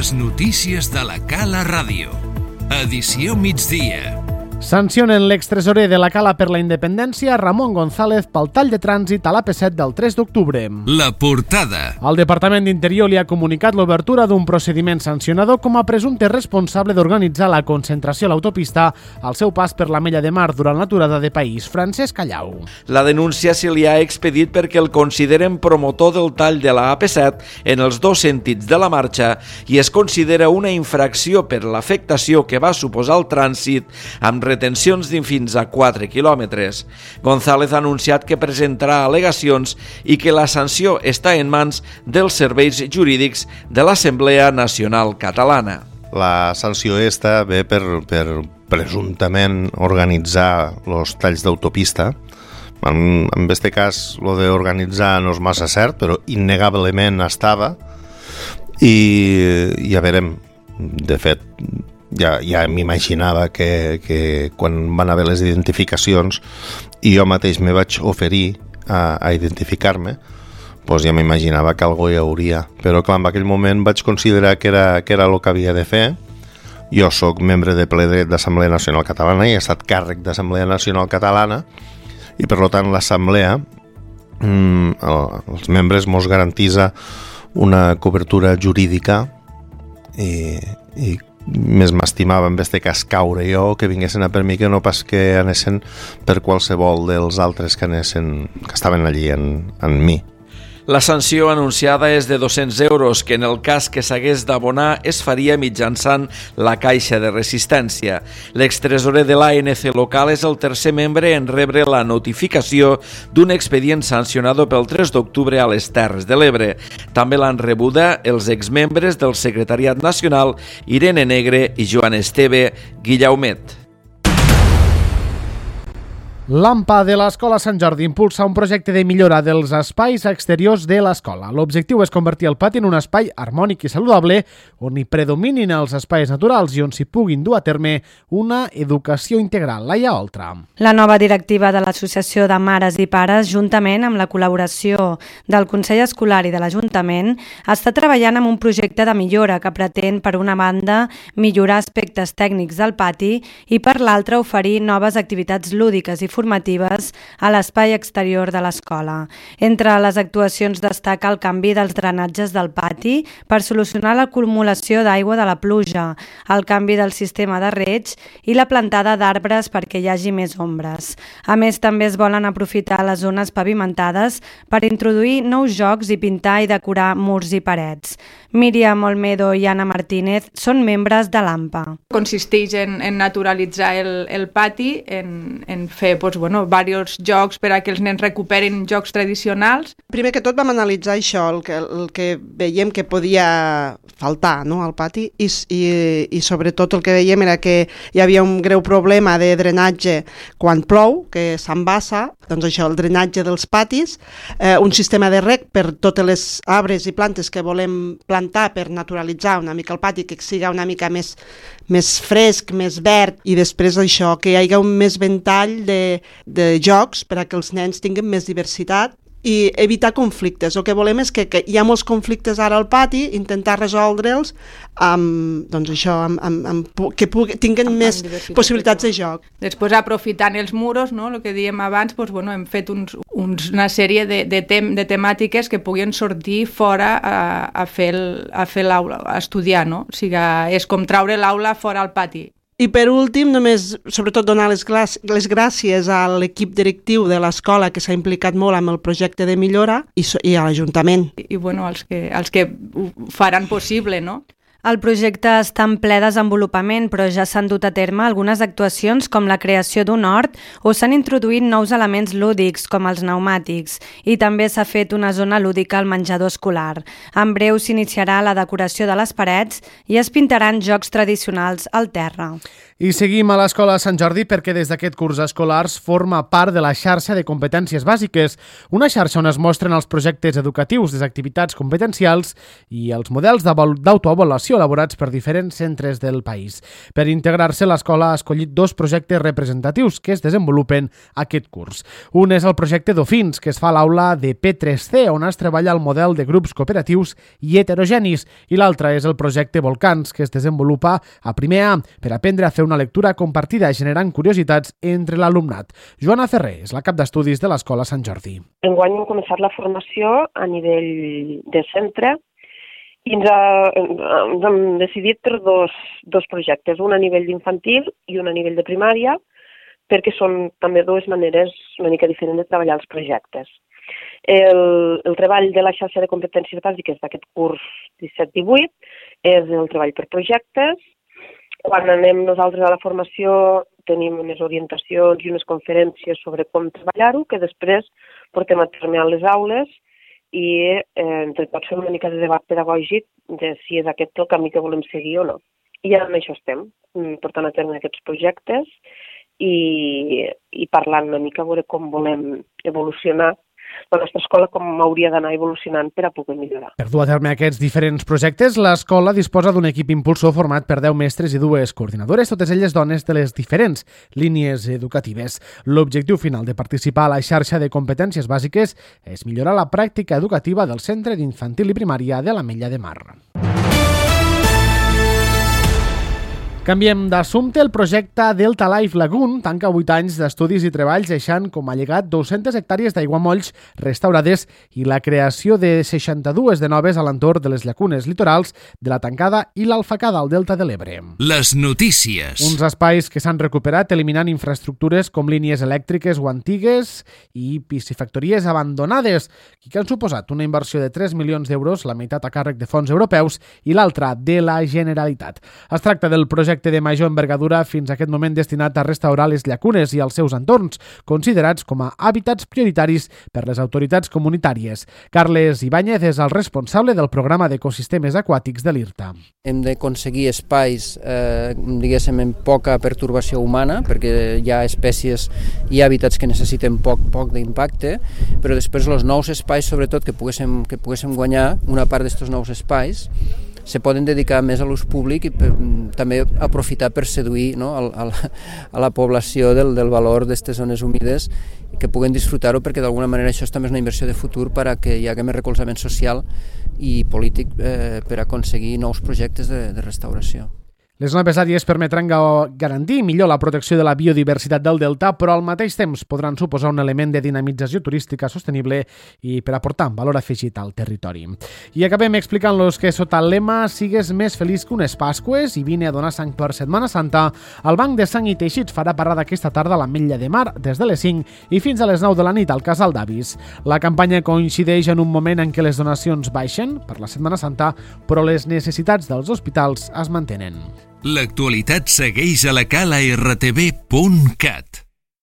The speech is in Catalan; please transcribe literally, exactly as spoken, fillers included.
Les notícies de la Cala Ràdio. Edició migdia. Sancionen l'extresorer de la Cala per la Independència, Ramon González, pel tall de trànsit a l'A P set del tres d'octubre. La portada. El Departament d'Interior li ha comunicat l'obertura d'un procediment sancionador com a presumpte responsable d'organitzar la concentració a l'autopista al seu pas per l'Ametlla de Mar durant l'aturada de País. Francesc Callau. La denúncia se li ha expedit perquè el consideren promotor del tall de la A P set en els dos sentits de la marxa i es considera una infracció per l'afectació que va suposar el trànsit amb retencions de fins a quatre quilòmetres. González ha anunciat que presentarà al·legacions i que la sanció està en mans dels serveis jurídics de l'Assemblea Nacional Catalana. La sanció esta ve per, per presumptament organitzar els talls d'autopista. En, en aquest cas, lo d'organitzar no és massa cert, però innegablement estava. I ja veurem, de fet, ja, ja m'imaginava que, que quan van haver les identificacions i jo mateix me vaig oferir a, a identificar-me, doncs ja m'imaginava que algo hi hauria. Però clar, en aquell moment vaig considerar que era, que era el que havia de fer. Jo sóc membre de ple dret d'Assemblea Nacional Catalana i he estat càrrec d'Assemblea Nacional Catalana i per tant l'Assemblea, mm, els membres mos garantisa una cobertura jurídica i, i més m'estimava en este cas caure jo que vinguessin a per mi que no pas que anessin per qualsevol dels altres que anessin, que estaven allí en, en mi. La sanció anunciada és de dos-cents euros, que en el cas que s'hagués d'abonar es faria mitjançant la caixa de resistència. L'extresorer de l'A N C local és el tercer membre en rebre la notificació d'un expedient sancionador pel tres d'octubre a les Terres de l'Ebre. També l'han rebuda els exmembres del Secretariat Nacional Irene Negre i Joan Esteve Guillaumet. L'A M P A de l'Escola Sant Jordi impulsa un projecte de millora dels espais exteriors de l'escola. L'objectiu és convertir el pati en un espai harmònic i saludable on hi predominin els espais naturals i on s'hi puguin dur a terme una educació integral. Laia Oltra. La nova directiva de l'Associació de Mares i Pares, juntament amb la col·laboració del Consell Escolar i de l'Ajuntament, està treballant en un projecte de millora que pretén, per una banda, millorar aspectes tècnics del pati i, per l'altra, oferir noves activitats lúdiques i formatives a l'espai exterior de l'escola. Entre les actuacions destaca el canvi dels drenatges del pati per solucionar l'acumulació d'aigua de la pluja, el canvi del sistema de reig i la plantada d'arbres perquè hi hagi més ombres. A més, també es volen aprofitar les zones pavimentades per introduir nous jocs i pintar i decorar murs i parets. Míriam Olmedo i Anna Martínez són membres de l'A M P A. Consisteix en, en naturalitzar el, el pati, en, en fer doncs, bueno, diversos jocs per a que els nens recuperin jocs tradicionals. Primer que tot vam analitzar això, el que, el que veiem que podia faltar, no, al pati i, i, i sobretot el que veiem era que hi havia un greu problema de drenatge quan plou, que s'embassa, doncs això, el drenatge dels patis, eh, un sistema de reg per totes les arbres i plantes que volem plantar per naturalitzar una mica el pati, que siga una mica més, més fresc, més verd, i després això, que hi hagi un més ventall de, de jocs per a que els nens tinguin més diversitat i evitar conflictes. El que volem és que, que hi ha molts conflictes ara al pati, intentar resoldre'ls amb, doncs això, amb, amb, amb, que pugui, tinguin amb, més amb possibilitats de joc. Després, aprofitant els muros, no, el que dèiem abans, doncs, bueno, hem fet uns, uns, una sèrie de, de, tem, de temàtiques que puguin sortir fora a, a fer el, a fer l'aula, a estudiar, no? O sigui, és com traure l'aula fora al pati. I per últim, només, sobretot, donar les, les gràcies a l'equip directiu de l'escola que s'ha implicat molt amb el projecte de millora i, i a l'Ajuntament. I, i bueno, els que, els que ho faran possible, no? El projecte està en ple desenvolupament, però ja s'han dut a terme algunes actuacions com la creació d'un hort o s'han introduït nous elements lúdics com els pneumàtics i també s'ha fet una zona lúdica al menjador escolar. En breu s'iniciarà la decoració de les parets i es pintaran jocs tradicionals al terra. I seguim a l'Escola Sant Jordi perquè des d'aquest curs escolars forma part de la xarxa de competències bàsiques, una xarxa on es mostren els projectes educatius, les activitats competencials i els models d'autoavaluació elaborats per diferents centres del país. Per integrar-se, l'escola ha escollit dos projectes representatius que es desenvolupen aquest curs. Un és el projecte Dofins, que es fa a l'aula de P tres C, on es treballa el model de grups cooperatius i heterogenis, i l'altre és el projecte Volcans, que es desenvolupa a primer A per aprendre a fer una lectura compartida generant curiositats entre l'alumnat. Joana Ferrer és la cap d'estudis de l'Escola Sant Jordi. Enguany hem començat la formació a nivell de centre i ens, ha, ens hem decidit per dos, dos projectes, un a nivell d'infantil i un a nivell de primària, perquè són també dues maneres una mica diferents de treballar els projectes. El, el treball de la xarxa de competències bàsiques d'aquest curs disset divuit és el treball per projectes. Quan anem nosaltres a la formació tenim unes orientacions i unes conferències sobre com treballar-ho, que després portem a terme a les aules i eh, entre tots fem una mica de debat pedagògic de si és aquest el camí que volem seguir o no. I amb això estem, portant a terme aquests projectes i, i parlant una mica a veure com volem evolucionar la nostra escola, com hauria d'anar evolucionant per a poder millorar. Per dur a terme aquests diferents projectes, l'escola disposa d'un equip impulsor format per deu mestres i dues coordinadores, totes elles dones de les diferents línies educatives. L'objectiu final de participar a la xarxa de competències bàsiques és millorar la pràctica educativa del Centre d'Infantil i Primària de l'Ametlla de Mar. Canviem d'assumpte. El projecte Delta Life Lagoon tanca vuit anys d'estudis i treballs deixant com a llegat dues-centes hectàrees d'aiguamolls restaurades i la creació de seixanta-dues de noves a l'entorn de les llacunes litorals de la Tancada i l'Alfacada al Delta de l'Ebre. Les notícies. Uns espais que s'han recuperat eliminant infraestructures com línies elèctriques o antigues i piscifactories abandonades i que han suposat una inversió de tres milions d'euros, la meitat a càrrec de fons europeus i l'altra de la Generalitat. Es tracta del projecte de major envergadura fins a aquest moment destinat a restaurar les llacunes i els seus entorns, considerats com a hàbitats prioritaris per les autoritats comunitàries. Carles Ibáñez és el responsable del programa d'ecosistemes aquàtics de l'IRTA. Hem d'aconseguir espais, eh, diguéssim, amb poca pertorbació humana, perquè hi ha espècies i hàbitats que necessiten poc, poc d'impacte, però després els nous espais, sobretot, que poguéssim, que poguéssim guanyar una part d'aquests nous espais, se poden dedicar més a l'ús públic i per, també aprofitar per seduir, no, a, a, la, a la població del, del valor d'aquestes zones humides que puguen disfrutar-ho, perquè d'alguna manera això també és una inversió de futur per a que hi hagi més recolzament social i polític eh, per aconseguir nous projectes de, de restauració. Les noves àrees permetran garantir millor la protecció de la biodiversitat del delta, però al mateix temps podran suposar un element de dinamització turística sostenible i per aportar valor afegit al territori. I acabem explicant-los que sota el lema "Sigues més feliç que unes Pasqües" i vine a donar sang per Setmana Santa, el Banc de Sang i Teixits farà parada aquesta tarda a l'Ametlla de Mar des de les cinc i fins a les nou de la nit al Casal d'Avis. La campanya coincideix en un moment en què les donacions baixen per la Setmana Santa, però les necessitats dels hospitals es mantenen. L'actualitat segueix a la cala r t v punt cat.